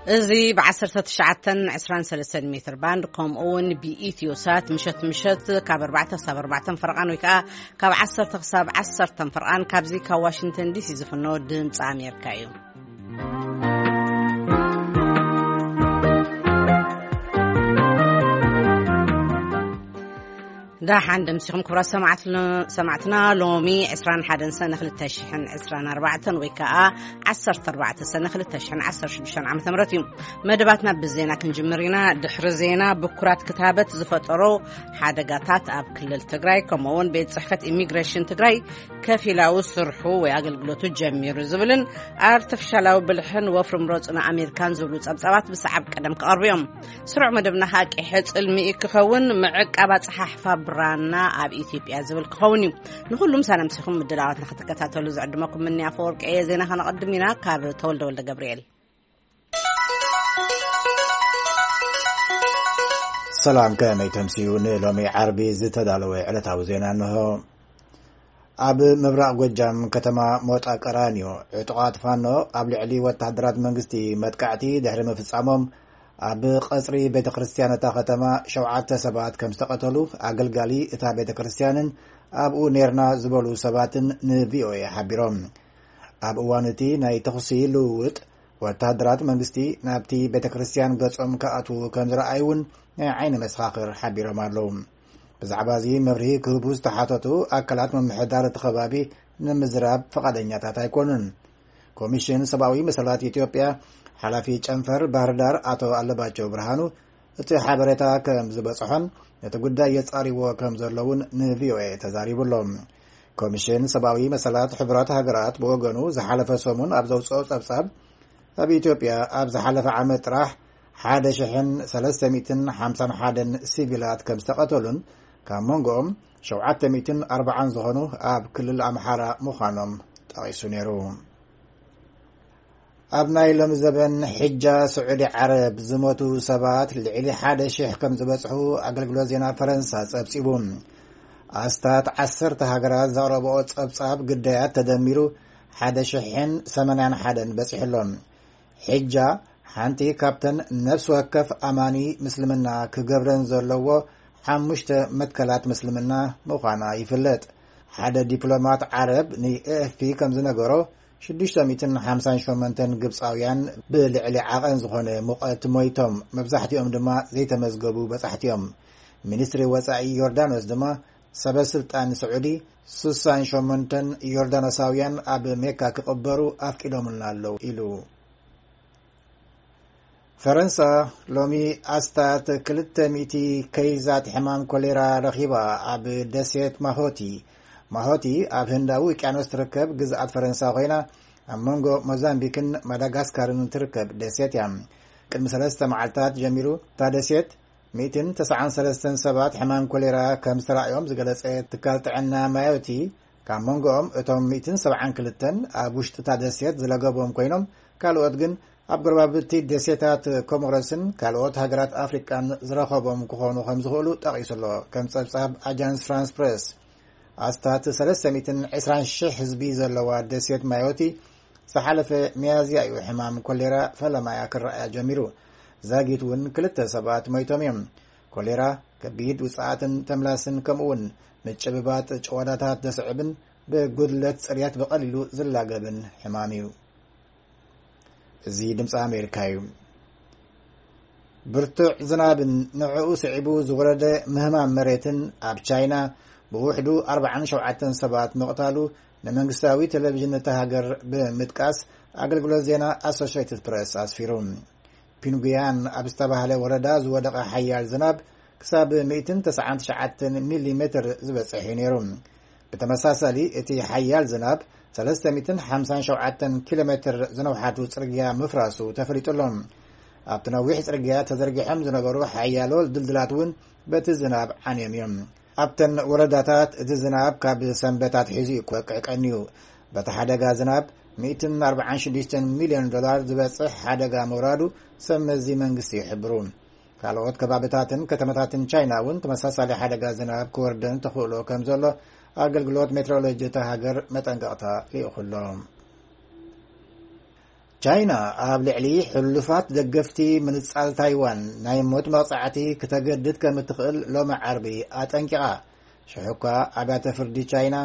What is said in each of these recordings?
እዚ ብ19 23 ሜትር ባንድ፣ ከምኡ እውን ብኢትዮ ሳት፣ ምሸት ምሸት ካብ ኣርባዕተ ክሳብ ኣርባዕተ ፈርቓን፣ ወይ ከዓ ካብ ዓሰርተ ክሳብ ዓሰርተ ፈርቓን፣ ካብዚ ካብ ዋሽንግተን ዲሲ ዝፍኖ ድምፂ ኣሜሪካ እዩ። ደሓን ደምሲኹም ክቡራት ሰማዕት-፣ ሰማዕትና። ሎሚ ዕስራን ሓደን ሰነ ክልተ ሽሕን ዕስራን ኣርባዕተን፣ ወይ ከዓ ዓሰርተ ኣርባዕተ ሰነ ክልተ ሽሕን ዓሰርተ ሽዱሽተን ዓመተ ምህረት እዩ። መደባትና ብዜና ክንጅምር ኢና። ድሕሪ ዜና፣ ብኩራት ክታበት ዝፈጠሮ ሓደጋታት ኣብ ክልል ትግራይ፣ ከምኡ እውን ቤት ጽሕፈት ኢሚግሬሽን ትግራይ ከፊላዊ ስርሑ ወይ ኣገልግሎቱ ጀሚሩ ዝብልን ኣርቲፊሻላዊ ብልሕን ወፍሪ ምረጹና ኣሜሪካን ዝብሉ ጸብጻባት ብሰዓብ ቀደም ክቐርቡ እዮም። ስሩዕ መደብና ከዓ ቂሐ ጽልሚ ክኸውን፣ ምዕቃብ ኣጸሓሕፋ ብራና ኣብ ኢትዮጵያ ዝብል ክኸውን እዩ። ንኹሉም ሳነምሲኹም ምድላዋትና ክትከታተሉ ዝዕድመኩም ምንያ ፈወርቂ እየ። ዜና ከነቐድም ኢና ካብ ተወልደ ወልደ ገብርኤል። ሰላም፣ ከመይ ተምስዩ? ንሎሚ ዓርቢ ዝተዳለወ ዕለታዊ ዜና እንሆ። ኣብ ምብራቕ ጎጃም ከተማ ሞጣ ቀራኒዮ ዕጡቓት ፋኖ ኣብ ልዕሊ ወታደራት መንግስቲ መጥቃዕቲ ድሕሪ ምፍጻሞም፣ ኣብ ቀጽሪ ቤተ ክርስቲያን እታ ከተማ ሸውዓተ ሰባት ከም ዝተቐተሉ ኣገልጋሊ እታ ቤተ ክርስቲያንን ኣብኡ ኔርና ዝበሉ ሰባትን ንቪኦኤ ሓቢሮም። ኣብ እዋን እቲ ናይ ተኹሲ ልውውጥ፣ ወታደራት መንግስቲ ናብቲ ቤተ ክርስቲያን ገጾም ክኣትዉ ከም ዝረኣዩ እውን ናይ ዓይኒ መሰኻኽር ሓቢሮም ኣለዉ። ብዛዕባ እዚ መብርሂ ክህቡ ዝተሓተቱ ኣካላት ምምሕዳር እቲ ከባቢ ንምዝራብ ፍቓደኛታት ኣይኮኑን። ኮሚሽን ሰብኣዊ መሰላት ኢትዮጵያ ሓላፊ ጨንፈር ባህር ዳር ኣቶ ኣለባቸው ብርሃኑ፣ እቲ ሓበሬታ ከም ዝበጽሖን ነቲ ጉዳይ የጻሪዎ ከም ዘለውን ንቪኦኤ ተዛሪቡ ኣሎ። ኮሚሽን ሰብኣዊ መሰላት ሕቡራት ሃገራት ብወገኑ፣ ዝሓለፈ ሰሙን ኣብ ዘውጽኦ ጸብጻብ፣ ኣብ ኢትዮጵያ ኣብ ዝሓለፈ ዓመት ጥራሕ ሓደ ሽሕን ሰለስተ ሚእትን ሓምሳን ሓደን ሲቪላት ከም ዝተቐተሉን፣ ካብ መንጎኦም ሸውዓተ ሚእትን ኣርባዓን ዝኾኑ ኣብ ክልል ኣምሓራ ምዃኖም ጠቒሱ ነይሩ። ኣብ ናይ ሎሚ ዘበን ሕጃ ስዑዲ ዓረብ ዝሞቱ ሰባት ልዕሊ ሓደ ሽሕ ከም ዝበጽሑ ኣገልግሎት ዜና ፈረንሳ ጸብጺቡ። ኣስታት ዓሰርተ ሃገራት ዘቕረብኦ ጸብጻብ ግዳያት ተደሚሩ ሓደ ሽሕን ሰማንያን ሓደን በጺሑ ኣሎ። ሕጃ ሓንቲ ካብተን ነፍሲ ወከፍ ኣማኒ ምስልምና ክገብረን ዘለዎ ሓሙሽተ መትከላት ምስልምና ምዃና ይፍለጥ። ሓደ ዲፕሎማት ዓረብ ንኤኤፍፒ ከም ዝነገሮ፣ ሽዱሽተ ሚእትን ሓምሳን ሸሞንተን ግብጻውያን ብልዕሊ ዓቐን ዝኾነ ሙቐት ሞይቶም፣ መብዛሕትኦም ድማ ዘይተመዝገቡ በጻሕቲ እዮም። ሚኒስትሪ ወጻኢ ዮርዳኖስ ድማ፣ ሰበ ስልጣን ስዑዲ ሱሳን ሸሞንተን ዮርዳኖሳውያን ኣብ ሜካ ክቕበሩ ኣፍቂዶምልና ኣለዉ ኢሉ። ፈረንሳ ሎሚ ኣስታት ክልተ ሚእቲ ከይዛት ሕማም ኮሌራ ረኺባ። ኣብ ደሴት ማሆቲ፣ ማሆቲ ኣብ ህንዳዊ ውቅያኖስ ትርከብ ግዝኣት ፈረንሳ ኮይና፣ ኣብ መንጎ ሞዛምቢክን ማዳጋስካርን ትርከብ ደሴት እያ። ቅድሚ ሰለስተ መዓልታት ጀሚሩ እታ ደሴት ሚእትን ተስዓን ሰለስተን ሰባት ሕማም ኮሌራ ከም ዝተራእዮም ዝገለጸ ትካል ጥዕና ማዮቲ፣ ካብ መንጎኦም እቶም ሚእትን ሰብዓን ክልተን ኣብ ውሽጢ እታ ደሴት ዝለገቦም ኮይኖም፣ ካልኦት ግን ኣብ ጎረባብቲ ደሴታት ኮሞሮስን ካልኦት ሃገራት ኣፍሪቃን ዝረኸቦም ክኾኑ ከም ዝኽእሉ ጠቒሱ ኣሎ። ከም ጸብጻብ ኣጃንስ ፍራንስ ፕሬስ፣ ኣስታት ሰለስተ ሚእትን ዕስራን ሽሕ ህዝቢ ዘለዋ ደሴት ማዮቲ፣ ዝሓለፈ ሚያዝያ እዩ ሕማም ኮሌራ ፈለማያ ክረኣያ ጀሚሩ። ዛጊት እውን ክልተ ሰባት ሞይቶም እዮም። ኮሌራ ከቢድ ውጽኣትን ተምላስን፣ ከምኡ እውን ምጭብባጥ ጭዋዳታት ዘስዕብን ብጉድለት ጽርያት ብቐሊሉ ዝላገብን ሕማም እዩ። እዚ ድምፂ ኣሜሪካ እዩ። ብርቱዕ ዝናብን ንዕኡ ስዒቡ ዝወረደ ምህማም መሬትን ኣብ ቻይና ብውሕዱ ኣርባዓን ሸውዓተን ሰባት ምቕታሉ ንመንግስታዊ ቴሌቪዥን እታ ሃገር ብምጥቃስ ኣገልግሎት ዜና ኣሶሽየትድ ፕሬስ ኣስፊሩ። ፒንጉያን ኣብ ዝተባህለ ወረዳ ዝወደቐ ሓያል ዝናብ ክሳብ ሚእትን ተስዓን ትሽዓተን ሚሊ ሜትር ዝበጽሕ እዩ ነይሩ። ብተመሳሳሊ፣ እቲ ሓያል ዝናብ ሰለስተ ሚእትን ሓምሳን ሸውዓተን ኪሎ ሜትር ዝነውሓቱ ጽርግያ ምፍራሱ ተፈሊጡ ኣሎ። ኣብቲ ነዊሕ ጽርግያ ተዘርጊሖም ዝነበሩ ሓያሎ ድልድላት እውን በቲ ዝናብ ዓንዮም እዮም። ኣብተን ወረዳታት እቲ ዝናብ ካብ ሰንበት ኣትሒዙ እዩ ክወቅዕ ቀንዩ። በቲ ሓደጋ ዝናብ ሚእትን ኣርባዓን ሽዱሽተን ሚልዮን ዶላር ዝበጽሕ ሓደጋ ምውራዱ ሰብ መዚ መንግስቲ ይሕብሩ። ካልኦት ከባብታትን ከተማታትን ቻይና እውን ተመሳሳሊ ሓደጋ ዝናብ ክወርደን ተኽእሎ ከም ዘሎ ኣገልግሎት ሜትሮሎጂ እታ ሃገር መጠንቀቕታ ልኢኹ ኣሎ። ቻይና ኣብ ልዕሊ ሕሉፋት ደገፍቲ ምንጻል ታይዋን ናይ ሞት መቕጻዕቲ ክተገድድ ከም እትኽእል ሎሚ ዓርቢ ኣጠንቂቓ። ሽሕኳ ኣብያተ ፍርዲ ቻይና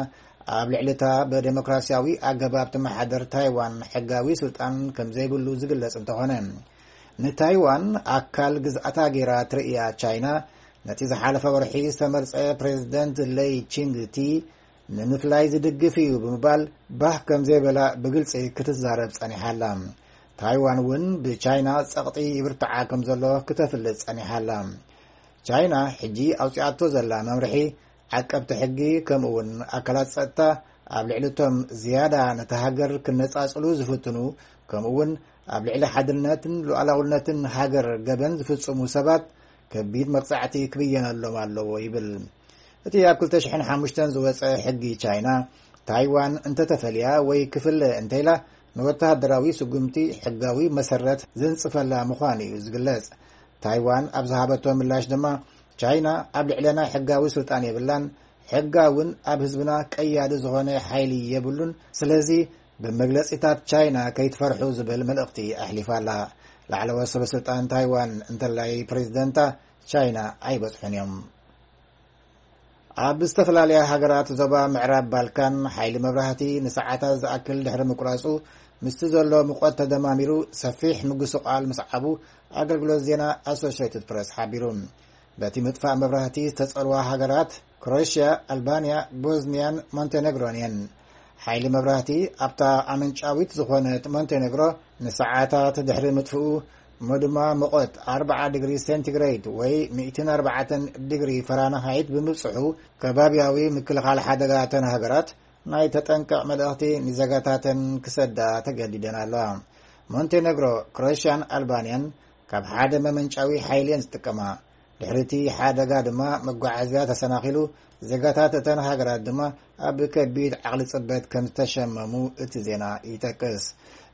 ኣብ ልዕሊ እታ ብዴሞክራሲያዊ ኣገባብ ትመሓደር ታይዋን ሕጋዊ ስልጣን ከም ዘይብሉ ዝግለጽ እንተኾነ፣ ንታይዋን ኣካል ግዝኣታ ገይራ ትርእያ ቻይና፣ ነቲ ዝሓለፈ ወርሒ ዝተመርጸ ፕሬዝደንት ለይ ቺንግ ቲ ንምፍላይ ዝድግፍ እዩ ብምባል ባህ ከም ዘይበላ ብግልጺ ክትዛረብ ጸኒሓ ኣላ። ታይዋን እውን ብቻይና ጸቕጢ ይብርትዓ ከም ዘሎ ክተፍልጥ ጸኒሓ ኣላ። ቻይና ሕጂ ኣውጺኣቶ ዘላ መምርሒ፣ ዓቀብቲ ሕጊ ከምኡ እውን ኣካላት ጸጥታ ኣብ ልዕሊ እቶም ዝያዳ ነታ ሃገር ክነጻጽሉ ዝፍትኑ፣ ከምኡ እውን ኣብ ልዕሊ ሓድነትን ሉዓላውነትን ሃገር ገበን ዝፍጽሙ ሰባት ከቢድ መቕጻዕቲ ክብየነሎም ኣለዎ ይብል። እቲ ኣብ ክልተ ሽሕን ሓሙሽተን ዝወጸ ሕጊ ቻይና፣ ታይዋን እንተተፈልያ ወይ ክፍለ እንተኢላ፣ ንወተሃደራዊ ስጉምቲ ሕጋዊ መሰረት ዘንጽፈላ ምዃኑ እዩ ዝግለጽ። ታይዋን ኣብ ዝሃበቶ ምላሽ ድማ፣ ቻይና ኣብ ልዕለና ሕጋዊ ስልጣን የብላን፣ ሕጋ እውን ኣብ ህዝብና ቀያዲ ዝኾነ ሓይሊ የብሉን፣ ስለዚ ብመግለጺታት ቻይና ከይትፈርሑ ዝብል መልእኽቲ ኣሕሊፋ ኣላ። ላዕለዎት ሰበ ስልጣን ታይዋን እንተላይ ፕሬዝደንታ ቻይና ኣይበጽሑን እዮም። ኣብ ዝተፈላለያ ሃገራት ዞባ ምዕራብ ባልካን ሓይሊ መብራህቲ ንሰዓታት ዝኣክል ድሕሪ ምቁራጹ፣ ምስቲ ዘሎ ሙቐት ተደማሚሩ ሰፊሕ ምጉስቓል ምስዓቡ ኣገልግሎት ዜና ኣሶሽየትድ ፕረስ ሓቢሩ። በቲ ምጥፋእ መብራህቲ ዝተጸልዋ ሃገራት ክሮኤሽያ፣ ኣልባንያ፣ ቦዝንያን ሞንቴኔግሮን እየን። ሓይሊ መብራህቲ ኣብታ ኣመንጫዊት ዝኾነት ሞንቴኔግሮ ንሰዓታት ድሕሪ ምጥፍኡ፣ እሞ ድማ ሙቐት ኣርብዓ ዲግሪ ሴንቲግሬድ ወይ ሚእትን ኣርባዕተን ዲግሪ ፈራንሃይት ብምብጽሑ፣ ከባብያዊ ምክልኻል ሓደጋ እተን ሃገራት ናይ ተጠንቀቕ መልእኽቲ ንዜጋታተን ክሰዳ ተገዲደን ኣለዋ። ሞንቴኔግሮ፣ ክሮኤሽያን ኣልባንያን ካብ ሓደ መመንጫዊ ሓይሊ እየን ዝጥቀማ። ድሕሪ እቲ ሓደጋ ድማ መጓዓዝያ ተሰናኺሉ፣ ዜጋታት እተን ሃገራት ድማ ኣብ ከቢድ ዓቕሊ ጽበት ከም ዝተሸመሙ እቲ ዜና ይጠቅስ።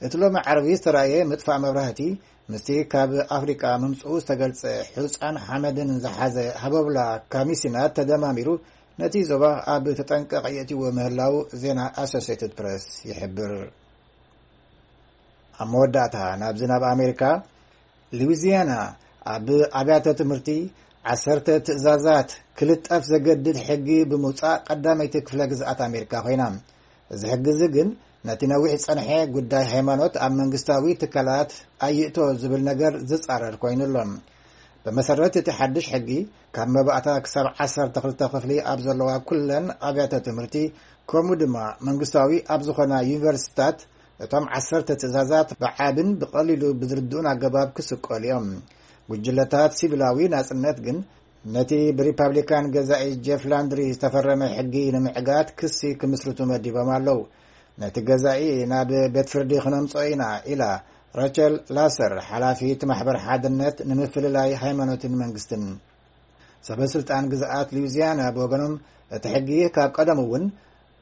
እቲ ሎሚ ዓርቢ ዝተራእየ ምጥፋእ መብራህቲ፣ ምስቲ ካብ ኣፍሪቃ ምምጽኡ ዝተገልጸ ሑጻን ሓመድን ዝሓዘ ሃቦብላ ካሚሲናት ተደማሚሩ፣ ነቲ ዞባ ኣብ ተጠንቀቕ የእትዎ ምህላው ዜና ኣሶሲየትድ ፕረስ ይሕብር። ኣብ መወዳእታ፣ ናብዚ ናብ ኣሜሪካ፣ ሉዊዚያና ኣብ ኣብያተ ትምህርቲ ዓሰርተ ትእዛዛት ክልጠፍ ዘገድድ ሕጊ ብምውጻእ ቀዳመይቲ ክፍለ ግዝኣት ኣሜሪካ ኮይና። እዚ ሕጊ እዚ ግን ነቲ ነዊሕ ዝጸንሐ ጉዳይ ሃይማኖት ኣብ መንግስታዊ ትካላት ኣይእቶ ዝብል ነገር ዝጻረር ኮይኑ ኣሎ። ብመሰረት እቲ ሓድሽ ሕጊ፣ ካብ መባእታ ክሳብ ዓሰርተ ክልተ ክፍሊ ኣብ ዘለዋ ኩለን ኣብያተ ትምህርቲ፣ ከምኡ ድማ መንግስታዊ ኣብ ዝኾና ዩኒቨርሲቲታት፣ እቶም ዓሰርተ ትእዛዛት ብዓብን ብቐሊሉ ብዝርድኡን ኣገባብ ክስቀሉ እዮም። ጉጅለታት ሲቪላዊ ናጽነት ግን ነቲ ብሪፓብሊካን ገዛኢ ጄፍ ላንድሪ ዝተፈረመ ሕጊ ንምዕጋት ክሲ ክምስርቱ መዲቦም ኣለዉ። ነቲ ገዛኢ ናብ ቤት ፍርዲ ክነምጽኦ ኢና ኢላ ራቸል ላሰር፣ ሓላፊት ማሕበር ሓድነት ንምፍልላይ ሃይማኖትን መንግስትን። ሰበ ስልጣን ግዝኣት ሉዊዚያና ብወገኖም፣ እቲ ሕጊ ካብ ቀደም እውን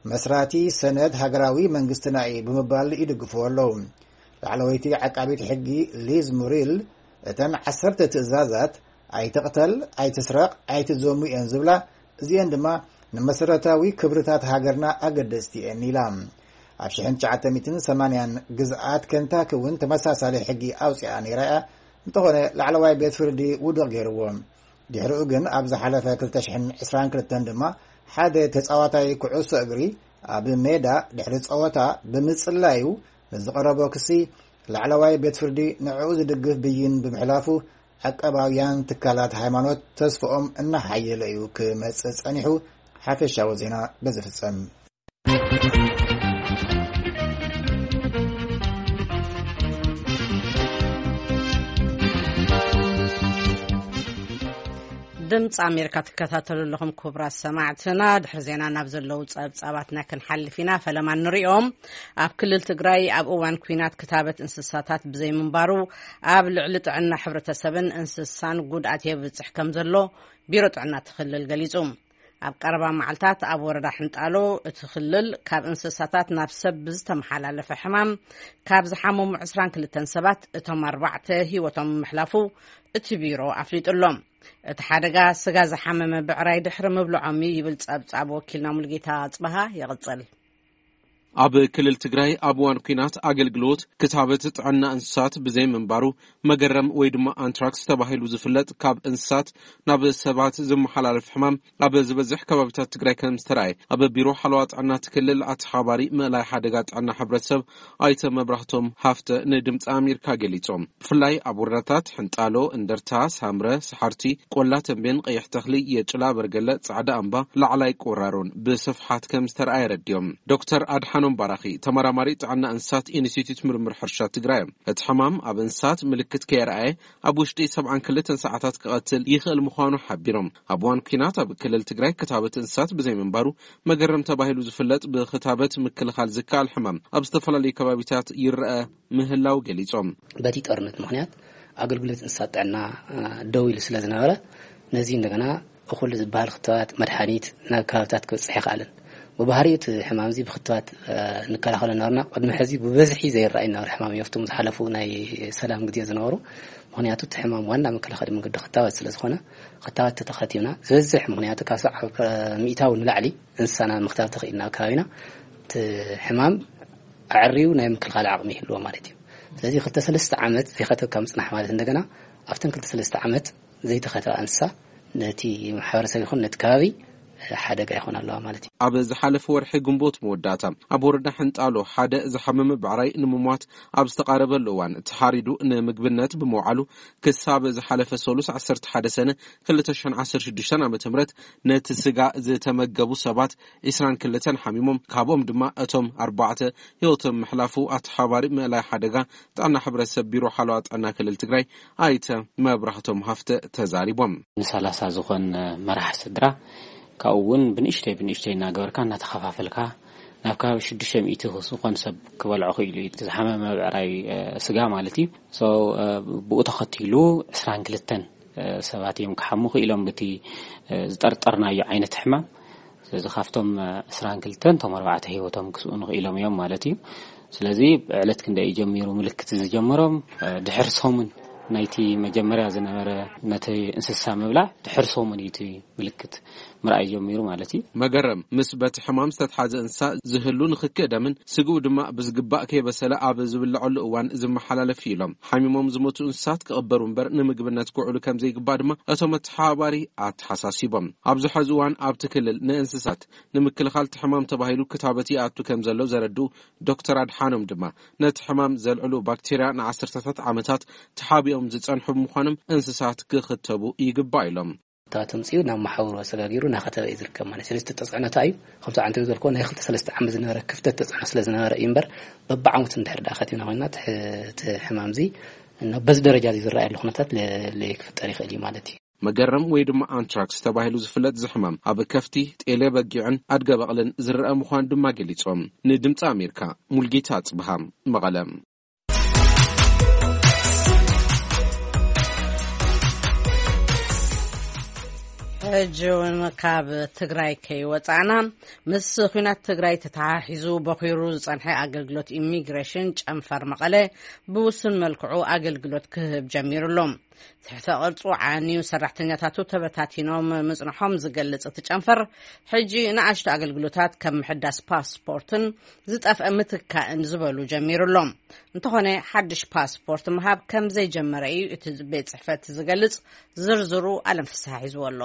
መስራቲ ሰነድ ሃገራዊ መንግስትና እዩ ብምባል ይድግፍዎ ኣለዉ። ላዕለወይቲ ዓቃቢት ሕጊ ሊዝ ሙሪል፣ እተን ዓሰርተ ትእዛዛት፣ ኣይትቕተል፣ ኣይትስረቕ፣ ኣይትዘሙ እየን ዝብላ፣ እዚአን ድማ ንመሰረታዊ ክብርታት ሃገርና ኣገደስቲ እየን ኢላ። ኣብ ሽሕን ትሽዓተ ሚእትን ሰማንያን ግዝኣት ከንታኪ እውን ተመሳሳሊ ሕጊ ኣውፂኣ ነይራ እያ። እንተኾነ ላዕለዋይ ቤት ፍርዲ ውድቕ ገይርዎ። ድሕሪኡ ግን ኣብ ዝሓለፈ ክልተ ሽሕን ዕስራን ክልተን ድማ ሓደ ተጻዋታይ ኩዕሶ እግሪ ኣብ ሜዳ ድሕሪ ጸወታ ብምጽላዩ ንዝቐረቦ ክሲ ላዕለዋይ ቤት ፍርዲ ንዕኡ ዝድግፍ ብይን ብምሕላፉ፣ ዓቃባውያን ትካላት ሃይማኖት ተስፍኦም እናሓየለ እዩ ክመጽእ ጸኒሑ። ሓፈሻዊ ዜና በዚ ፍጸም። ድምፂ ኣሜሪካ ትከታተሉ ኣለኹም ክቡራት ሰማዕትና። ድሕሪ ዜና ናብ ዘለዉ ጸብጻባትና ክንሓልፍ ኢና። ፈለማ ንሪኦም። ኣብ ክልል ትግራይ ኣብ እዋን ኲናት ክታበት እንስሳታት ብዘይምንባሩ፣ ኣብ ልዕሊ ጥዕና ሕብረተሰብን እንስሳን ጉድኣት የብፅሕ ከም ዘሎ ቢሮ ጥዕና እቲ ክልል ገሊጹ። ኣብ ቀረባ መዓልታት ኣብ ወረዳ ሕንጣሎ እቲ ክልል ካብ እንስሳታት ናብ ሰብ ብዝተመሓላለፈ ሕማም ካብ ዝሓመሙ ዕስራን ክልተን ሰባት እቶም ኣርባዕተ ህይወቶም ምሕላፉ እቲ ቢሮ ኣፍሊጡ ኣሎ። እቲ ሓደጋ ስጋ ዝሓመመ ብዕራይ ድሕሪ ምብልዖም እዩ ይብል ጸብጻብ ወኪልና ሙሉጌታ ኣጽበሃ። ይቕጽል። ኣብ ክልል ትግራይ ኣብ እዋን ኲናት ኣገልግሎት ክታበት ጥዕና እንስሳት ብዘይ ምንባሩ፣ መገረም ወይ ድማ ኣንትራክስ ተባሂሉ ዝፍለጥ ካብ እንስሳት ናብ ሰባት ዝመሓላለፍ ሕማም ኣብ ዝበዝሕ ከባቢታት ትግራይ ከም ዝተረኣየ ኣብ ቢሮ ሓለዋ ጥዕና እቲ ክልል ኣተሓባሪ ምእላይ ሓደጋ ጥዕና ሕብረተሰብ ኣይተ መብራህቶም ሃፍተ ንድምፂ ኣሜሪካ ገሊፆም። ብፍላይ ኣብ ወረዳታት ሕንጣሎ፣ እንደርታ፣ ሳምረ፣ ሰሓርቲ፣ ቆላ ተንቤን፣ ቀይሕ ተኽሊ፣ የጭላ፣ በርገለ፣ ጻዕዳ ኣምባ፣ ላዕላይ ቆራሮን ብስፍሓት ከም ዝተረኣየ ረድዮም። ዶክተር ኣድሓኖም ባራኺ፣ ተመራማሪ ጥዕና እንስሳት ኢንስቲትዩት ምርምር ሕርሻ ትግራይ እዮም። እቲ ሕማም ኣብ እንስሳት ምልክት ከየርኣየ ኣብ ውሽጢ ሰብዓን ክልተን ሰዓታት ክቐትል ይኽእል ምዃኑ ሓቢሮም። ኣብ እዋን ኲናት ኣብ ክልል ትግራይ ክታበት እንስሳት ብዘይምንባሩ፣ መገረም ተባሂሉ ዝፍለጥ ብክታበት ምክልኻል ዝከኣል ሕማም ኣብ ዝተፈላለዩ ከባቢታት ይረአ ምህላው ገሊጾም። በቲ ጦርነት ምኽንያት ኣገልግሎት እንስሳት ጥዕና፣ እ፣ ደው ኢሉ ስለ ዝነበረ፣ ነዚ እንደገና እኹል ዝበሃል ክትባት፣ መድሓኒት ናብ ከባብታት ክበጽሕ ኣይከኣለን። ብባህሪኡ እቲ ሕማም እዚ ብክትባት፣ እ፣ ንከላኸሎ ነበርና። ቅድሚ ሕዚ ብበዝሒ ዘይረኣይ ነበረ ሕማም እዩ፣ ኣብቶም ዝሓለፉ ናይ ሰላም ግዜ ዝነበሩ። ምኽንያቱ እቲ ሕማም ዋና መከላኸሊ መንገዲ ክታበት ስለ ዝኾነ፣ ክታበት ተተኸቲብና፣ ዝበዝሕ፣ ምኽንያቱ ካብ ሰብዓ ሚእታዊ ንላዕሊ እንስሳና ምክታብ ተኽኢልና ኣብ ከባቢና፣ እቲ ሕማም ኣዕርዩ ናይ ምክልኻል ዓቕሚ ይህልዎ ማለት እዩ። ስለዚ ክልተ ሰለስተ ዓመት ዘይኸተብካ ምጽናሕ ማለት፣ እንደገና ኣብተን ክልተ ሰለስተ ዓመት ዘይተኸተባ እንስሳ ነቲ ማሕበረሰብ ይኹን ነቲ ከባቢ ሓደጋ ይኾን ኣለዋ ማለት እዩ። ኣብ ዝሓለፈ ወርሒ ግንቦት መወዳእታ ኣብ ወረዳ ሕንጣሎ ሓደ ዝሓመመ ብዕራይ ንምሟት ኣብ ዝተቓረበሉ እዋን ተሓሪዱ ንምግብነት ብምውዓሉ፣ ክሳብ ዝሓለፈ ሰሉስ ዓሰርተ ሓደ ሰነ ክልተ ሽሕን ዓሰርተ ሽዱሽተን ዓመተ ምህረት ነቲ ስጋ ዝተመገቡ ሰባት ዒስራን ክልተን ሓሚሞም፣ ካብኦም ድማ እቶም ኣርባዕተ ህይወቶም ምሕላፉ ኣተሓባሪ ምእላይ ሓደጋ ጥዕና ሕብረተሰብ ቢሮ ሓለዋ ጥዕና ክልል ትግራይ ኣይተ መብራህቶም ሃፍተ ተዛሪቦም። ንሰላሳ ዝኾን መራሕ ስድራ ካብኡ እውን ብንእሽተይ ብንእሽተይ እናገበርካ እናተኸፋፈልካ ናብ ከባቢ ሽዱሽተ ሚእቲ ዝኾን ሰብ ክበልዖ ክኢሉ እዩ። እቲ ዝሓመመ ብዕራይ፣ እ፣ ስጋ ማለት እዩ። So፣ እ፣ ብኡ ተኸቲሉ ዕስራን ክልተን፣ እ፣ ሰባት እዮም ክሓሙ ክኢሎም ብቲ፣ እ፣ ዝጠርጠርናዮ ዓይነት ሕማም። ስለዚ ካብቶም፣ እ፣ ዕስራን ክልተን እቶም ኣርባዕተ ህይወቶም ክስኡ ንኽኢሎም እዮም ማለት እዩ። ስለዚ ዕለት ክንደይ እዩ ጀሚሩ ምልክት ዝጀመሮም? እ፣ ድሕር ሰሙን ናይቲ መጀመርያ ዝነበረ ነቲ እንስሳ ምብላዕ ድሕር ሰሙን እዩ እቲ ምልክት ምርኣይ ጀሚሩ ማለት እዩ። መገረም ምስ በቲ ሕማም ዝተትሓዘ እንስሳ ዝህሉ ንኽክእ ደምን ስግኡ ድማ ብዝግባእ ከይበሰለ ኣብ ዝብልዐሉ እዋን ዝመሓላለፍ እዩ ኢሎም። ሓሚሞም ዝሞቱ እንስሳት ክቕበሩ እምበር ንምግብነት ክውዕሉ ከም ዘይግባእ ድማ እቶም ኣተሓባባሪ ኣተሓሳሲቦም። ኣብዚ ሐዚ እዋን ኣብቲ ክልል ንእንስሳት ንምክልኻል እቲ ሕማም ተባሂሉ ክታበት ይኣቱ ከም ዘሎ ዘረድኡ ዶክተር ኣድሓኖም ድማ ነቲ ሕማም ዘልዕሉ ባክቴርያ ንዓሰርተታት ዓመታት ተሓቢኦም ዝጸንሑ ብምዃኖም እንስሳት ክኽተቡ ይግባእ ኢሎም። እታ ተምፅኡ ናብ መሓውር ኣሰጋጊሩ እናኸተበ እዩ ዝርከብ ማለት። ስለዚ እቲ ተፅዕኖ እንታይ እዩ? ከምቲ ዓንተ ዝበልክዎ ናይ ክልተ ሰለስተ ዓመት ዝነበረ ክፍተት ተፅዕኖ ስለ ዝነበረ እዩ እምበር፣ በብዓመቱ እንድሕር ደኣ ከቲብና ኮይንና እቲ ሕ-፣ እቲ ሕማም እዚ እና በዚ ደረጃ እዚ ዝረኣየሉ ኩነታት ለ-፣ ለይክፍጠር ይኽእል እዩ ማለት እዩ። መገረም ወይ ድማ ኣንትራክስ ተባሂሉ ዝፍለጥ እዚ ሕማም ኣብ ከፍቲ፣ ጤለ በጊዕን ኣድገ በቕልን ዝረአ ምዃኑ ድማ ገሊጾም። ንድምፂ ኣሜሪካ ሙልጌታ ኣጽብሃ፣ መቐለ። ሕጂ እውን ካብ ትግራይ ከይወፃእና፣ ምስ ኲናት ትግራይ ተተሓሒዙ በኺሩ ዝፀንሐ ኣገልግሎት ኢሚግሬሽን ጨንፈር መቐለ ብውሱን መልክዑ ኣገልግሎት ክህብ ጀሚሩ ኣሎ። ትሕተ ቅርጹ ዓንዩ ሰራሕተኛታቱ ተበታቲኖም ምጽንሖም ዝገልጽ እቲ ጨንፈር፣ ሕጂ ንኣሽቱ ኣገልግሎታት ከም ምሕዳስ ፓስፖርትን ዝጠፍአ ምትካእን ዝበሉ ጀሚሩ ኣሎ። እንተኾነ፣ ሓድሽ ፓስፖርት ምሃብ ከም ዘይጀመረ እዩ እቲ ቤት ጽሕፈት ዝገልጽ። ዝርዝሩ ኣለም ፍስሓ ሒዝዎ ኣሎ።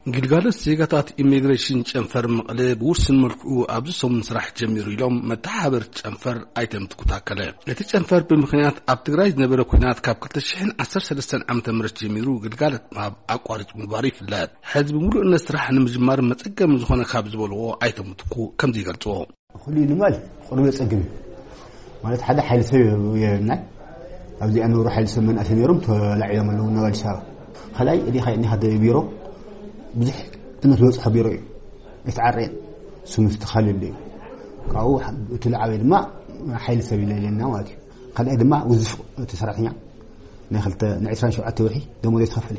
ግልጋሎት ዜጋታት ኢሚግሬሽን ጨንፈር መቐለ ብውሱን መልክዑ ኣብዚ ሰሙን ስራሕ ጀሚሩ ኢሎም መተሓባበርቲ ጨንፈር ኣይተ ምትኩ ታከለ። እቲ ጨንፈር ብምኽንያት ኣብ ትግራይ ዝነበረ ኲናት ካብ ክልተ ሽሕን ዓሰርተ ሰለስተን ዓመተ ምህረት ጀሚሩ ግልጋሎት ምሃብ ኣቋሪጹ ምንባሩ ይፍለጥ። ሕዚ ብምሉእነት ስራሕ ንምጅማር መጸገሚ ዝኾነ ካብ ዝበልዎ ኣይተ ምትኩ ከምዚ ይገልጽዎ። ኩሉ ንምባል ቁሩብ የጸግም እዩ። ማለት ሓደ ሓይሊ ሰብ የብልናን። ኣብዚኣ ንብሩ ሓይሊ ሰብ መናእሰይ ነይሮም ተላዒሎም ኣለዉ ናብ ኣዲስ ኣበባ። ካልኣይ እዲኻ እኒኻ ቢሮ ብዙሕ ትምህርቲ ዝበፅሖ ቢሮ እዩ። ኣይተዓረየን። ስሙ ዝተኻልል እዩ። ካብኡ እቲ ዝዓበየ ድማ ሓይሊ ሰብ የለና ማለት እዩ። ካልኣይ ድማ ውዝፍ እቲ ሰራሕተኛ ናይ ክልተ፣ ናይ ዕስራን ሸውዓተ ወርሒ ደሞዝ ኣይተኸፈለ።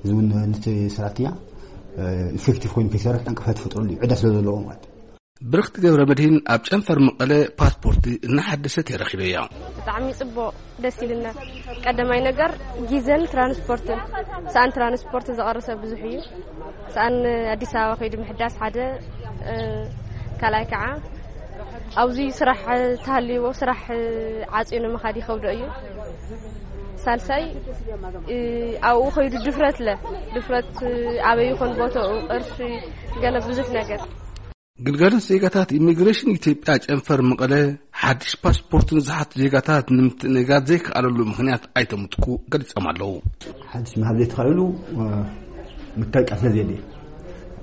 እዚ እውን ነቲ ሰራሕተኛ፣ እ፣ ኢፌክቲቭ ኮይኑ ከይሰርሕ ዕንቅፋት ይፈጥረሉ እዩ። ዕዳ ስለ ዘለዎ ማለት እዩ። ብርኽቲ ገብረ መድህን ኣብ ጨንፈር መቐለ ፓስፖርት እናሓደሰት እየ ረኺበያ። ብጣዕሚ ጽቡቕ፣ ደስ ኢልና። ቀዳማይ ነገር ግዜን ትራንስፖርትን፣ ሰኣን ትራንስፖርት ዝቐረሰ ብዙሕ እዩ። ሰኣን ኣዲስ ኣበባ ከይዱ ምሕዳስ ሓደ፣ እ፣ ካልኣይ ከዓ ኣብዚ ስራሕ ተሃልይዎ ስራሕ ዓጽዩ ንምኻድ ይኸብዶ እዩ። ሳልሳይ፣ እ፣ ኣብኡ ከይዱ ድፍረት ለ ድፍረት፣ እ፣ ኣበይ ይኾን ቦታኡ፣ ቅርሺ፣ ገለ ብዙሕ ነገር። ግልጋሎት ዜጋታት ኢሚግሬሽን ኢትዮጵያ ጨንፈር መቐለ ሓድሽ ፓስፖርት ንዝሓቱ ዜጋታት ንምትእንጋድ ዘይከኣለሉ ምኽንያት ኣይተምጥኩ ገሊጾም ኣለዉ። ሓድሽ ምሃብ ዘይተኻእሉ፣ እ፣ መታወቂያ ስለ ዘየለ።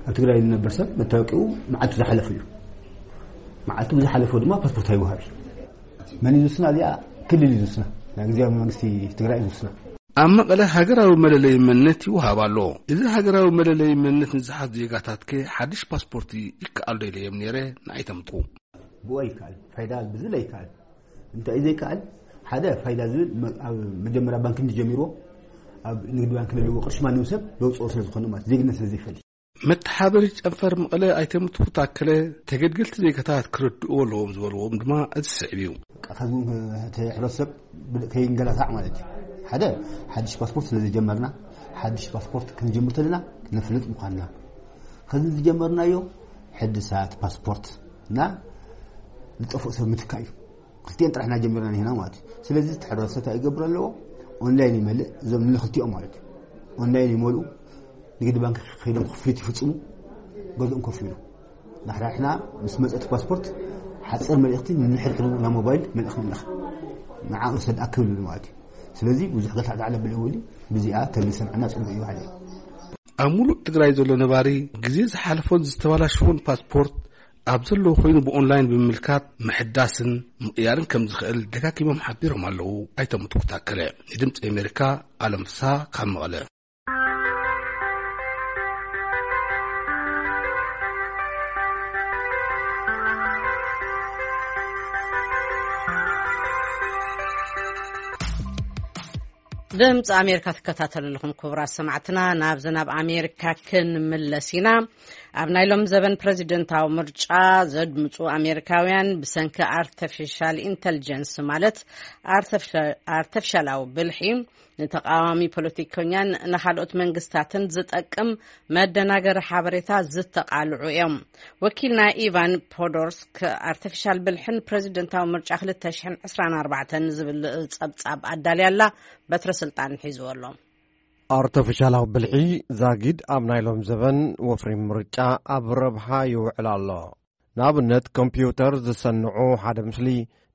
ኣብ ትግራይ ዝነበር ሰብ መታወቂያኡ መዓልቱ ዝሓለፉ እዩ። መዓልቱ ብዝሓለፎ ድማ ፓስፖርት ኣይወሃብ እዩ። መን እዩ ዝውስና? እዚኣ ክልል እዩ ዝውስና። ናይ ግዜያዊ መንግስቲ ትግራይ እዩ ዝውስና። ኣብ መቐለ ሃገራዊ መለለይ መንነት ይወሃብ ኣሎ። እዚ ሃገራዊ መለለይ መንነት ንዝሓት ዜጋታት ከ ሓድሽ ፓስፖርት ይከኣል ዶ ኢለዮም ነይረ ንኣይተምጥኩ። ብኡ ኣይከኣል። ፋይዳ ብዝለ ይከኣል። እንታይ እዩ ዘይከኣል? ሓደ ፋይዳ ዝብል መ-፣ ኣብ መጀመርያ ባንክ እንዲ ጀሚርዎ፣ ኣብ ንግዲ ባንክ ለለዎ ቅርሺ ማንም ሰብ ለውፅኦ ስለ ዝኾነ ማለት ዜግነት ስለ ዘይፈልጥ። መተሓበሪ ጨንፈር መቐለ ኣይተ ምትኩ ታከለ ተገልገልቲ ዜጋታት ክርድእዎ ኣለዎም ዝበልዎም ድማ እዚ ስዕብ እዩ። ካብዚ እውን እቲ ሕብረተሰብ ብል-፣ ከይንገላታዕ ማለት እዩ። ሓደ ሓድሽ ፓስፖርት ስለ ዘጀመርና፣ ሓድሽ ፓስፖርት ክንጀምር ተለና ነፍልጥ ምዃንና። ከዚ ዝጀመርናዮ ሕድሳት ፓስፖርት እና ዝጠፍኡ ሰብ ምትካእ እዩ። ክልቲኤን ጥራሕ ኢና ጀሚርና ንሕና ማለት እዩ። ስለዚ እቲ ሕብረተሰብ እንታይ ይገብር ኣለዎ? ኦንላይን ይመልእ፣ እዞም ንክልቲኦም ማለት እዩ። ኦንላይን ይመልኡ፣ ንግዲ ባንክ ከይዶም ክፍሊት ይፍጽሙ፣ ገዝኦም ኮፍ ይብሉ። ንሕና ምስ መጸት ፓስፖርት ሓጺር መልእኽቲ ንሕድሕዱ ናብ ሞባይል መልእኽቲ ንልእኽ። ንዓኡ ሰብ ኣክብል ማለት እዩ። ስለዚ ብዙሕ ገልታዕ ዳዕለ ብልውሊ ብዚኣ ተልሰምዕና ጽቡቅ እዩ ሓደ። ኣብ ሙሉእ ትግራይ ዘሎ ነባሪ ግዜ ዝሓለፎን ዝተበላሸዎን ፓስፖርት ኣብ ዘለዎ ኮይኑ ብኦንላይን ብምምልካት ምሕዳስን ምቕያርን ከም ዝኽእል ደጋጊሞም ሓቢሮም ኣለዉ። ኣይተ ምትኩ ታከለ ንድምፂ ኣሜሪካ፣ ኣለም ፍስሃ ካብ መቐለ። ድምፂ ኣሜሪካ ትከታተሉ ኣለኹም ክቡራት ሰማዕትና። ናብዚ ናብ ኣሜሪካ ክንምለስ ኢና። ኣብ ናይ ሎም ዘበን ፕሬዚደንታዊ ምርጫ ዘድምፁ ኣሜሪካውያን ብሰንኪ ኣርተፊሻል ኢንተልጀንስ ማለት ኣርተፊሻ-፣ ኣርተፊሻላዊ ብልሒ ንተቃዋሚ ፖለቲከኛን ንካልኦት መንግስታትን ዝጠቅም መደናገሪ ሓበሬታ ዝተቃልዑ እዮም። ወኪልና ኢቫን ፖዶርስክ ኣርተፊሻል ብልሕን ፕሬዚደንታዊ ምርጫ ክልተ ሽሕን ዕስራን ኣርባዕተን ዝብል ጸብጻብ ኣዳልያ ኣላ። በትረ ስልጣን ሒዝዎ ኣሎ። ኣርተፊሻላዊ ብልሒ ዛጊድ ኣብ ናይ ሎም ዘበን ወፍሪ ምርጫ ኣብ ረብሓ ይውዕል ኣሎ። ንኣብነት፣ ኮምፒውተር ዝሰንዑ ሓደ ምስሊ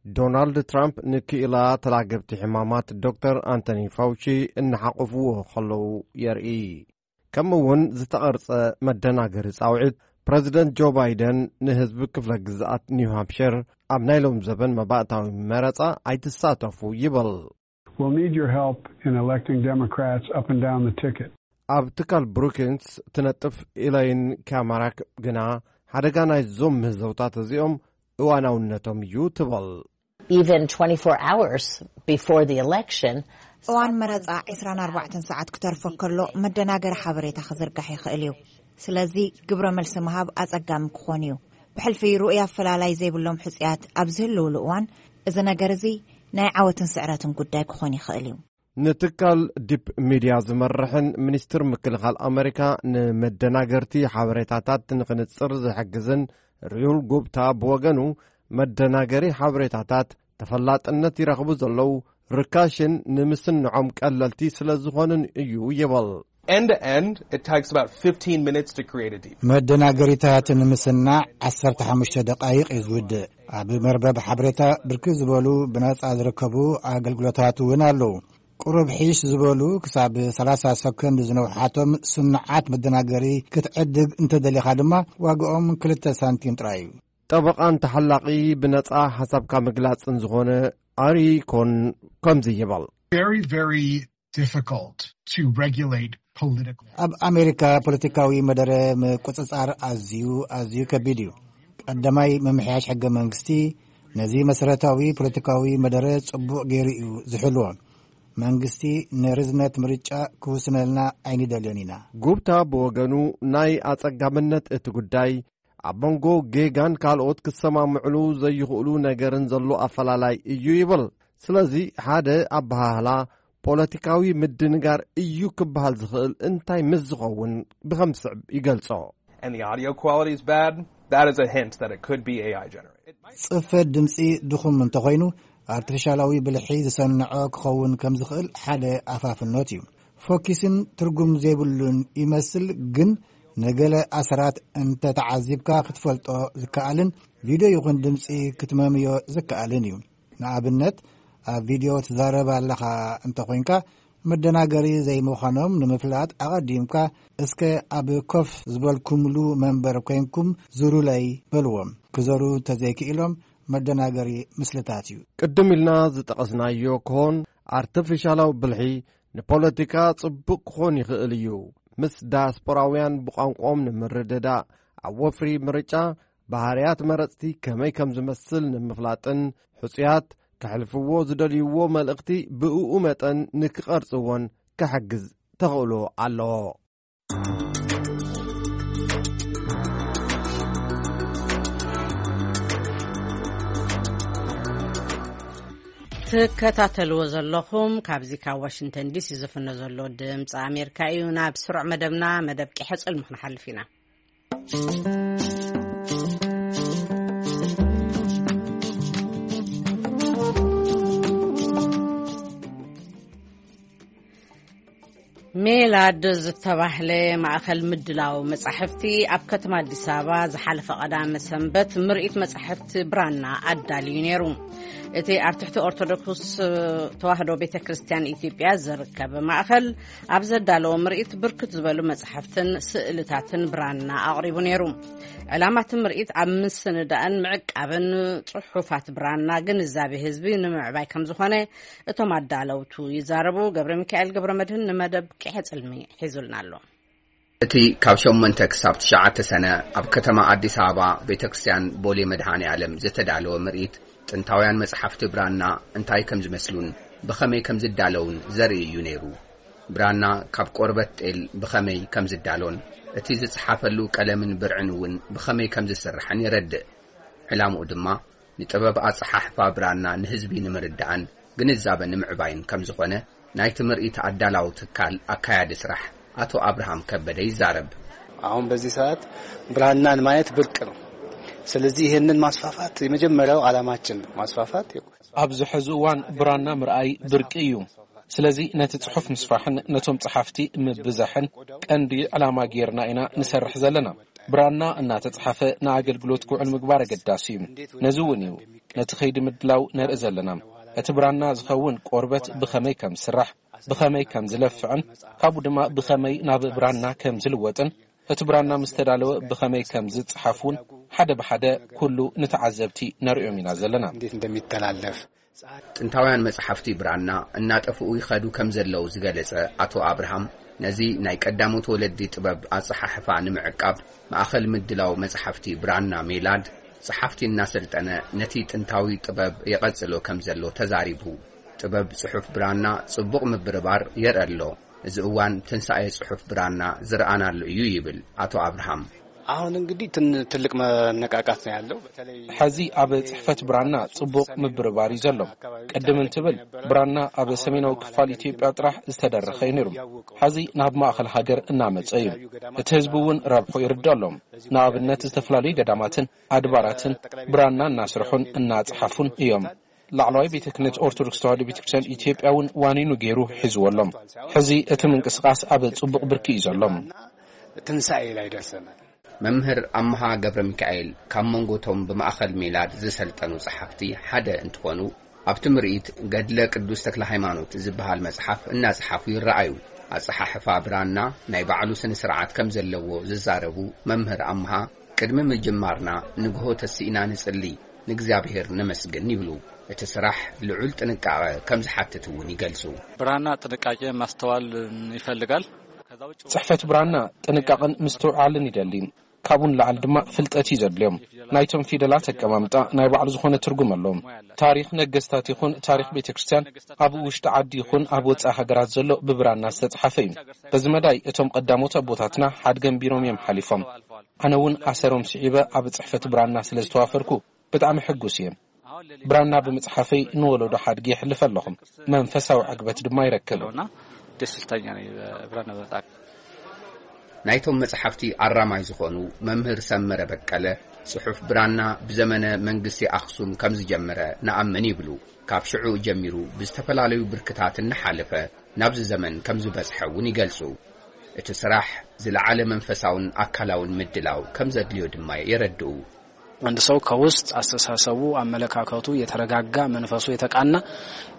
ዶናልድ ትራምፕ ንክኢላ ተላገብቲ ሕማማት ዶክተር ኣንቶኒ ፋውቺ እናሓቆፍዎ ከለዉ የርኢ። ከምኡ እውን ዝተቐርጸ መደናገሪ ጻውዒት ፕረዚደንት ጆ ባይደን ንህዝቢ ክፍለ ግዝኣት ኒው ሃምፕሸር ኣብ ናይ ሎም ዘበን መባእታዊ መረጻ ኣይትሳተፉ ይብል። We'll need your help in electing Democrats up and down the ticket. ኣብ ትካል ብሩኪንስ ትነጥፍ ኢላይን ካማራክ ግና ሓደጋ ናይዞም ምህዘውታት እዚኦም እዋናውነቶም እዩ ትብል። Even twenty-four hours before the election, እዋን መረጻ ዕስራን ኣርባዕተን ሰዓት ክተርፎ ከሎ መደናገሪ ሓበሬታ ክዝርጋሕ ይኽእል እዩ። ስለዚ ግብረ መልሲ ምሃብ ኣጸጋሚ ክኾን እዩ። ብሕልፊ ርኡይ ኣፈላላይ ዘይብሎም ሕጹያት ኣብ ዝህልውሉ እዋን፣ እዚ ነገር እዚ ናይ ዓወትን ስዕረትን ጉዳይ ክኾን ይኽእል እዩ። ንትካል ዲፕ ሚድያ ዝመርሕን ሚኒስትር ምክልኻል ኣመሪካ ንመደናገርቲ ሓበሬታታት ንኽንጽር ዝሕግዝን ሪዩል ጉብታ ብወገኑ፣ መደናገሪ ሓበሬታታት ተፈላጥነት ይረኽቡ ዘለዉ ርካሽን ንምስንዖም ቀለልቲ ስለ ዝኾኑን እዩ ይብል። End to end, it takes about fifteen minutes to create a deep. መደናገሪታት ንምስናዕ ዓሰርተ ሓሙሽተ ደቃይቕ እዩ ዝውድእ። ኣብ መርበብ ሓበሬታ ብርክት ዝበሉ ብነጻ ዝርከቡ ኣገልግሎታት እውን ኣለዉ። ቁሩብ ሒሽ ዝበሉ ክሳብ ሰላሳ ሰኮንድ ዝነውሓቶም ስኑዓት መደናገሪ ክትዕድግ እንተደሊኻ ድማ ዋግኦም ክልተ ሳንቲም ጥራይ እዩ። ጠበቓን ተሓላቒ ብነጻ ሓሳብካ ምግላጽን ዝኾነ ኣሪ ኮን ከምዚ ይብል። Very, very difficult to regulate political. ኣብ ኣሜሪካ ፖለቲካዊ መደረ ምቁጽጻር ኣዝዩ፣ ኣዝዩ ከቢድ እዩ። ቀዳማይ ምምሕያሽ ሕገ መንግስቲ ነዚ መሰረታዊ ፖለቲካዊ መደረ ጽቡቕ ገይሩ እዩ ዝሕልዎ። መንግስቲ ንርዝነት ምርጫ ክውስነልና ኣይንደልዮን ኢና። ጉብታ ብወገኑ ናይ ኣጸጋምነት እቲ ጉዳይ ኣብ መንጎ ጌጋን ካልኦት ክሰማምዕሉ ዘይኽእሉ ነገርን ዘሎ ኣፈላላይ እዩ ይብል። ስለዚ ሓደ ኣበሃህላ ፖለቲካዊ ምድንጋር እዩ ክበሃል ዝኽእል እንታይ ምስ ዝኸውን ብኸም ዝስዕብ ይገልጾ። And the audio quality is bad. That is a hint that it could be A I generated. ጽፈት ድምጺ ድኹም እንተኾይኑ፣ ኣርቲፊሻላዊ ብልሒ ዝሰንዖ ክኸውን ከም ዝኽእል ሓደ ኣፋፍኖት እዩ። ፎኪስን ትርጉም ዘይብሉን ይመስል፣ ግን ንገለ ኣሰራት እንተተዓዚብካ ክትፈልጦ ዝከኣልን ቪድዮ ይኹን ድምጺ ክትመምዮ ዝከኣልን እዩ። ንኣብነት፣ ኣብ ቪድዮ ትዛረብ ኣለኻ እንተኾይንካ፣ መደናገሪ ዘይምዃኖም ንምፍላጥ ኣቐዲምካ፣ እስከ ኣብ ኮፍ ዝበልኩምሉ መንበር ኮይንኩም ዙሩለይ በልዎም። ክዘሩ እንተዘይክኢሎም፣ መደናገሪ ምስልታት እዩ። ቅድም ኢልና ዝጠቐስናዮ ክኾን፣ ኣርቲፊሻላዊ ብልሒ ንፖለቲካ ጽቡቕ ክኾን ይኽእል እዩ። ምስ ዳያስፖራውያን ብቋንቋኦም ንምርድዳእ፣ ኣብ ወፍሪ ምርጫ ባህርያት መረጽቲ ከመይ ከም ዝመስል ንምፍላጥን፣ ሕጹያት ከሕልፍዎ ዝደልይዎ መልእኽቲ ብእኡ መጠን ንክቐርጽዎን ክሕግዝ ተኽእሎ ኣለዎ። ትከታተልዎ ዘለኹም ካብዚ ካብ ዋሽንግተን ዲሲ ዝፍኖ ዘሎ ድምፂ ኣሜሪካ እዩ። ናብ ስሩዕ መደብና፣ መደብ ቂሐ ጽልሚ ክንሓልፍ ኢና። ሜላድ ዝተባህለ ማእኸል ምድላው መጻሕፍቲ ኣብ ከተማ ኣዲስ ኣበባ ዝሓለፈ ቀዳመ ሰንበት ምርኢት መጻሕፍቲ ብራና ኣዳልዩ ነይሩ። እቲ ኣብ ትሕቲ ኦርቶዶክስ ተዋህዶ ቤተ ክርስቲያን ኢትዮጵያ ዝርከብ ማእኸል ኣብ ዘዳለዎ ምርኢት ብርክት ዝበሉ መጻሕፍትን ስእልታትን ብራና ኣቕሪቡ ነይሩ። ዕላማ እቲ ምርኢት ኣብ ምስንዳእን ምዕቃብን ጽሑፋት ብራና ግንዛቤ ህዝቢ ንምዕባይ ከም ዝኾነ እቶም ኣዳለውቱ ይዛረቡ። ገብረ ሚካኤል ገብረ መድህን ንመደብ ቂሐ ጽልሚ ሒዙልና ኣሎ። እቲ ካብ ሸሞንተ ክሳብ ትሽዓተ ሰነ ኣብ ከተማ ኣዲስ ኣበባ ቤተ ክርስቲያን ቦሌ መድኃኔ ዓለም ዝተዳለወ ምርኢት ጥንታውያን መጽሓፍቲ ብራና እንታይ ከም ዝመስሉን ብኸመይ ከም ዝዳለውን ዘርኢ እዩ ነይሩ። ብራና ካብ ቆርበት ጤል ብኸመይ ከም ዝዳሎን እቲ ዝጸሓፈሉ ቀለምን ብርዕን እውን ብኸመይ ከም ዝስራሕን የረድእ። ዕላምኡ ድማ ንጥበብ ኣጸሓሕፋ ብራና ንህዝቢ ንምርዳእን ግንዛበ ንምዕባይን ከም ዝኾነ ናይቲ ምርኢት ኣዳላዊ ትካል ኣካያዲ ስራሕ ኣቶ ኣብርሃም ከበደ ይዛረብ። አሁን በዚህ ሰዓት ብራናን ማየት ብርቅ ነው። ስለዚህ ይህንን ማስፋፋት የመጀመሪያው ዓላማችን ነው። ማስፋፋት ኣብዚ ሕዚ እዋን ብራና ምርኣይ ብርቂ እዩ። ስለዚ ነቲ ጽሑፍ ምስፋሕን ነቶም ጸሓፍቲ ምብዛሕን ቀንዲ ዕላማ ጌርና ኢና ንሰርሕ ዘለና። ብራና እናተጻሓፈ ንኣገልግሎት ክውዕል ምግባር ኣገዳሲ እዩ። ነዚ እውን እዩ ነቲ ከይዲ ምድላው ነርኢ ዘለና። እቲ ብራና ዝኸውን ቆርበት ብኸመይ ከም ዝስራሕ፣ ብኸመይ ከም ዝለፍዕን ካብኡ ድማ ብኸመይ ናብ ብራና ከም ዝልወጥን፣ እቲ ብራና ምስ ተዳለወ ብኸመይ ከም ዝጸሓፍ እውን ሓደ ብሓደ ኩሉ ንተዓዘብቲ ነርእዮም ኢና ዘለና። እንዴት እንደሚተላለፍ ጥንታውያን መጽሓፍቲ ብራና እናጠፍኡ ይኸዱ ከም ዘለዉ ዝገለጸ ኣቶ ኣብርሃም፣ ነዚ ናይ ቀዳሞት ወለዲ ጥበብ ኣጸሓሕፋ ንምዕቃብ ማእኸል ምድላው መጽሓፍቲ ብራና ሜላድ ጸሓፍቲ እናሰልጠነ ነቲ ጥንታዊ ጥበብ የቐጽሎ ከም ዘሎ ተዛሪቡ። ጥበብ ጽሑፍ ብራና ጽቡቕ ምብርባር የርኢ ኣሎ። እዚ እዋን ትንሳኤ ጽሑፍ ብራና ዝረኣናሉ እዩ ይብል ኣቶ ኣብርሃም። አሁን እንግዲህ ትን-፣ ትልቅ መነቃቃት ነው ያለው። በተለይ ሕዚ ኣብ ጽሕፈት ብራና ጽቡቕ ምብርባር እዩ ዘሎ። ቅድም እንትብል ብራና ኣብ ሰሜናዊ ክፋል ኢትዮጵያ ጥራሕ ዝተደረኸ እዩ ነይሩ። ሕዚ ናብ ማእኸል ሃገር እናመጸ እዩ። እቲ ህዝቢ እውን ረብሑ ይርድኦ ኣሎ። ንኣብነት ዝተፈላለዩ ገዳማትን ኣድባራትን ብራና እናስርሑን እናጸሓፉን እዮም። ላዕለዋይ ቤተ ክህነት ኦርቶዶክስ ተዋህዶ ቤተ ክርስቲያን ኢትዮጵያ እውን ዋኒኑ ገይሩ ሒዝዎ ኣሎ። ሕዚ እቲ ምንቅስቃስ ኣብ ጽቡቕ ብርኪ እዩ ዘሎ። ትንሳኤ ላይ ደርሰናል። መምህር ኣምሃ ገብረ ሚካኤል ካብ መንጎቶም ብማእኸል ሜላድ ዝሰልጠኑ ጸሓፍቲ ሓደ እንትኾኑ፣ ኣብቲ ምርኢት ገድለ ቅዱስ ተክለ ሃይማኖት ዝበሃል መጽሓፍ እናጸሓፉ ይረኣዩ። ኣጸሓሕፋ ብራና ናይ ባዕሉ ስነ ስርዓት ከም ዘለዎ ዝዛረቡ መምህር ኣምሃ፣ ቅድሚ ምጅማርና ንግሆ ተሲእና ንጽሊ፣ ንእግዚኣብሔር ነመስግን ይብሉ። እቲ ስራሕ ልዑል ጥንቃቐ ከም ዝሓትት እውን ይገልጹ። ብራና ጥንቃቄ ማስተዋል ይፈልጋል። ጽሕፈት ብራና ጥንቃቐን ምስትውዓልን ይደሊ። ካብኡ ንላዕሊ ድማ ፍልጠት እዩ ዘድልዮም። ናይቶም ፊደላት ኣቀማምጣ ናይ ባዕሉ ዝኾነ ትርጉም ኣለዎም። ታሪኽ ነገስታት ይኹን ታሪኽ ቤተ ክርስቲያን ኣብ ውሽጢ ዓዲ ይኹን ኣብ ወጻኢ ሃገራት ዘሎ ብብራና ዝተጻሓፈ እዩ። በዚ መዳይ እቶም ቀዳሞት ኣቦታትና ሓድገን ቢሮም እዮም ሓሊፎም። ኣነ እውን ኣሰሮም ስዒበ ኣብ ጽሕፈት ብራና ስለ ዝተዋፈርኩ ብጣዕሚ ሕጉስ እየ። ብራና ብምጽሓፈይ ንወለዶ ሓድጊ የሕልፍ ኣለኹ። መንፈሳዊ ዕግበት ድማ ይረክብ። እና ደስ ኢልታኛ ነኝ ብራና በጣም። ናይቶም መጽሓፍቲ ኣራማይ ዝኾኑ መምህር ሰመረ በቀለ፣ ጽሑፍ ብራና ብዘመነ መንግስቲ ኣኽሱም ከም ዝጀመረ ንኣምን ይብሉ። ካብ ሽዑ ጀሚሩ ብዝተፈላለዩ ብርክታት እናሓለፈ ናብዚ ዘመን ከም ዝበጽሐ እውን ይገልጹ። እቲ ስራሕ ዝለዓለ መንፈሳውን ኣካላውን ምድላው ከም ዘድልዮ ድማ የረድኡ። አንድ ሰው ከውስጥ አስተሳሰቡ፣ አመለካከቱ የተረጋጋ፣ መንፈሱ የተቃና፣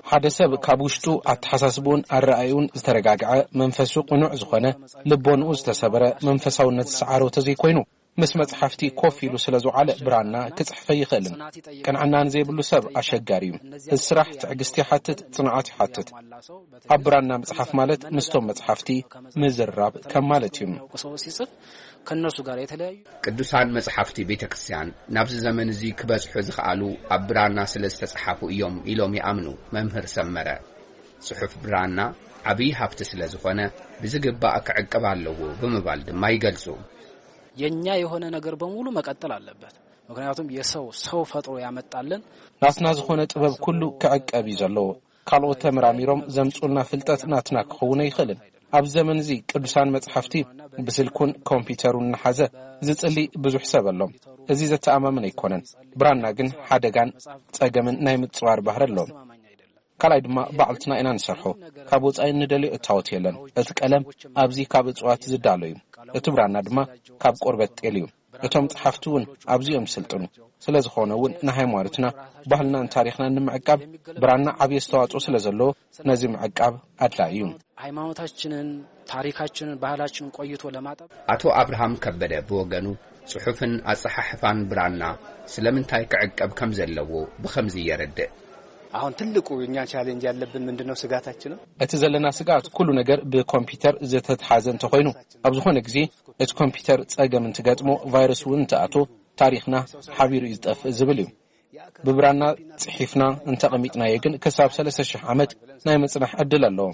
ሓደ ሰብ ካብ ውሽጡ ኣተሓሳስብኡን ኣረኣእዩን ዝተረጋግዐ፣ መንፈሱ ቅኑዕ ዝኾነ፣ ልቦንኡ ዝተሰበረ፣ መንፈሳውነት ዝሰዓሮ ተዘይኮይኑ፣ ምስ መጽሓፍቲ ኮፍ ኢሉ ስለ ዝውዓለ ብራና ክጽሕፍ ኣይኽእልን። ቅንዕና ንዘይብሉ ሰብ ኣሸጋሪ እዩ። እዚ ስራሕ ትዕግስቲ ይሓትት፣ ጽንዓት ይሓትት። ኣብ ብራና ምጽሓፍ ማለት ምስቶም መጽሓፍቲ ምዝራብ ከም ማለት እዩ። ቅዱሳን መጽሓፍቲ ቤተ ክርስቲያን ናብዚ ዘመን እዚ ክበጽሑ ዝኸኣሉ ኣብ ብራና ስለ ዝተጸሓፉ እዮም ኢሎም ይኣምኑ መምህር ሰመረ። ጽሑፍ ብራና ዓብዪ ሃብቲ ስለ ዝኾነ ብዝግባእ ክዕቀብ ኣለዎ ብምባል ድማ ይገልጹ። የኛ የሆነ ነገር በሙሉ መቀጠል ኣለበት። ምክንያቱም የሰው ሰው ፈጥሮ ያመጣልን። ናትና ዝኾነ ጥበብ ኩሉ ክዕቀብ እዩ ዘለዎ። ካልኦት ተመራሚሮም ዘምጹልና ፍልጠት ናትና ክኸውን ኣይኽእልን። ኣብ ዘመን እዚ ቅዱሳን መጽሓፍቲ ብስልኩን ኮምፒውተሩን እናሓዘ ዝጽሊ ብዙሕ ሰብ ኣሎ። እዚ ዘተኣማምን ኣይኮነን። ብራና ግን ሓደጋን ጸገምን ናይ ምጽዋር ባህሪ ኣለዎም። ካልኣይ ድማ ባዕልትና ኢና ንሰርሖ። ካብ ወጻኢ እንደልዮ እታወት የለን። እቲ ቀለም ኣብዚ ካብ እጽዋት ዝዳሎ እዩ። እቲ ብራና ድማ ካብ ቆርበት ጤል እዩ። እቶም ጸሓፍቲ እውን ኣብዚኦም ዝስልጥኑ። ስለ ዝኾነ እውን ንሃይማኖትና፣ ባህልናን ታሪኽናን ንምዕቃብ ብራና ዓብዪ ኣስተዋጽኦ ስለ ዘለዎ ነዚ ምዕቃብ ኣድላዪ እዩ። ሃይማኖታችንን ታሪካችንን ባህላችንን ቆይቶ ለማጠብ። ኣቶ ኣብርሃም ከበደ ብወገኑ ጽሑፍን ኣጸሓሕፋን ብራና ስለምንታይ ክዕቀብ ከም ዘለዎ ብኸምዚ የረድእ። አሁን ትልቁ እኛ ቻሌንጅ ያለብን ምንድነው ስጋታችንም? እቲ ዘለና ስጋት ኩሉ ነገር ብኮምፒውተር ዝተትሓዘ እንተኾይኑ፣ ኣብ ዝኾነ ግዜ እቲ ኮምፒውተር ጸገም እንትገጥሞ፣ ቫይረስ እውን እንትኣቶ፣ ታሪኽና ሓቢሩ እዩ ዝጠፍእ ዝብል እዩ። ብብራና ጽሒፍና እንተቐሚጥናዮ ግን ክሳብ ሰለስተ ሽሕ ዓመት ናይ ምጽናሕ ዕድል ኣለዎ።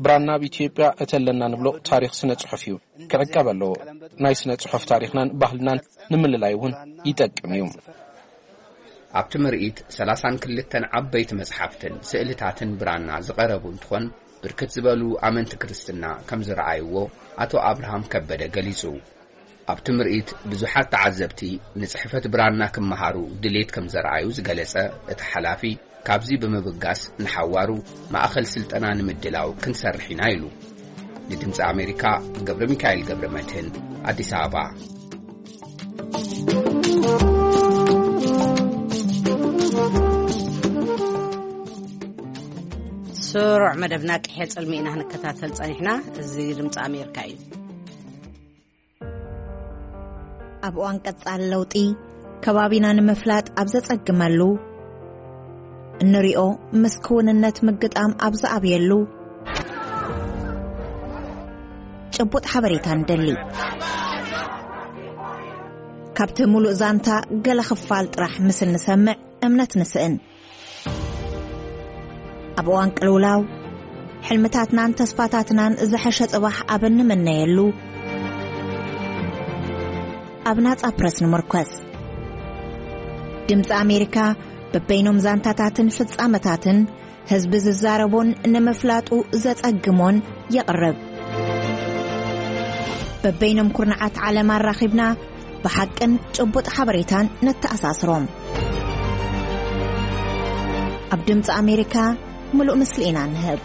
ብራና ኣብ ኢትዮጵያ እቲ ኣለና ንብሎ ታሪኽ ስነ ጽሑፍ እዩ። ክዕቀብ ኣለዎ። ናይ ስነ ጽሑፍ ታሪኽናን ባህልናን ንምልላይ እውን ይጠቅም እዩ። ኣብቲ ምርኢት ሰላሳን ክልተን ዓበይቲ መጽሓፍትን ስእልታትን ብራና ዝቐረቡ እንትኾን፣ ብርክት ዝበሉ ኣመንቲ ክርስትና ከም ዝረኣይዎ ኣቶ ኣብርሃም ከበደ ገሊጹ። ኣብቲ ምርኢት ብዙሓት ተዓዘብቲ ንጽሕፈት ብራና ክመሃሩ ድሌት ከም ዘርኣዩ ዝገለጸ እቲ ሓላፊ፣ ካብዚ ብምብጋስ ንሓዋሩ ማእኸል ስልጠና ንምድላው ክንሰርሕ ኢና ኢሉ። ንድምፂ ኣሜሪካ ገብረ ሚካኤል ገብረ መድህን ኣዲስ ኣበባ። ስሩዕ መደብና ቅሔ ጽልሚ ኢና ክንከታተል ጸኒሕና። እዚ ድምፂ ኣሜሪካ እዩ። ኣብ እዋን ቀጻሊ ለውጢ፣ ከባቢና ንምፍላጥ ኣብ ዘጸግመሉ፣ እንሪኦ ምስ ክውንነት ምግጣም ኣብ ዝኣብየሉ፣ ጭቡጥ ሓበሬታ ንደሊ። ካብቲ ሙሉእ ዛንታ ገለ ክፋል ጥራሕ ምስ እንሰምዕ እምነት ንስእን። ኣብ እዋን ቅልውላው፣ ሕልምታትናን ተስፋታትናን ዝሐሸ ጽባሕ ኣብ እንምነየሉ፣ ኣብ ናጻ ፕረስ ንምርኮስ። ድምጺ ኣሜሪካ በበይኖም ዛንታታትን ፍጻመታትን ህዝቢ ዝዛረቦን ንምፍላጡ ዘጸግሞን የቕርብ። በበይኖም ኩርናዓት ዓለም ኣራኺብና ብሓቅን ጭቡጥ ሓበሬታን ነተኣሳስሮም። ኣብ ድምፂ ኣሜሪካ ምሉእ ምስሊ ኢና ንህብ።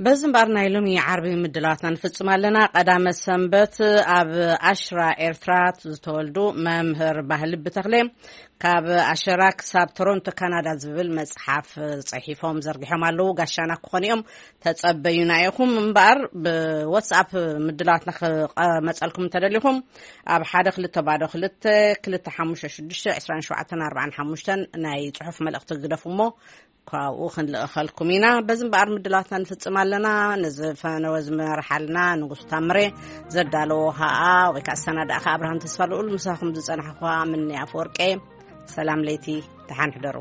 በዚ እምበኣር ናይ ሎሚ ዓርቢ ምድላዋትና ንፍጽም ኣለና። ቀዳመ ሰንበት ኣብ ኣሽራ ኤርትራ ዝተወልዱ መምህር ባህሊ ብተኽሌ ካብ ኣሸራ ክሳብ ቶሮንቶ ካናዳ ዝብል መጽሓፍ ጽሒፎም ዘርጊሖም ኣለዉ። ጋሻና ክኾኑ እዮም። ተጸበዩና ኢኹም። እምበኣር ብዋትስኣፕ ምድላዋትና ክመጸልኩም እንተደሊኹም ኣብ ሓደ ክልተ ባዶ ክልተ ክልተ ሓሙሽተ ሽዱሽተ ዕስራን ሸውዓተን ኣርባዓን ሓሙሽተን ናይ ጽሑፍ መልእኽቲ ግደፉ እሞ ካብኡ ክንልእኸልኩም ኢና። በዚ እምበኣር ምድላዋትና ንፍጽም ኣለና። ነዚ ፈነወ ዝመርሓልና ንጉስ ታምሬ ዘዳለዎ ኸኣ ወይ ከኣ ዝሰናዳእካ ኣብርሃም ተስፋ ልኡል ምሳኹም ዝጸናሕኳ ምኒ ኣፈወርቄ። ሰላም ለይቲ፣ ደሓን ሕደሩ።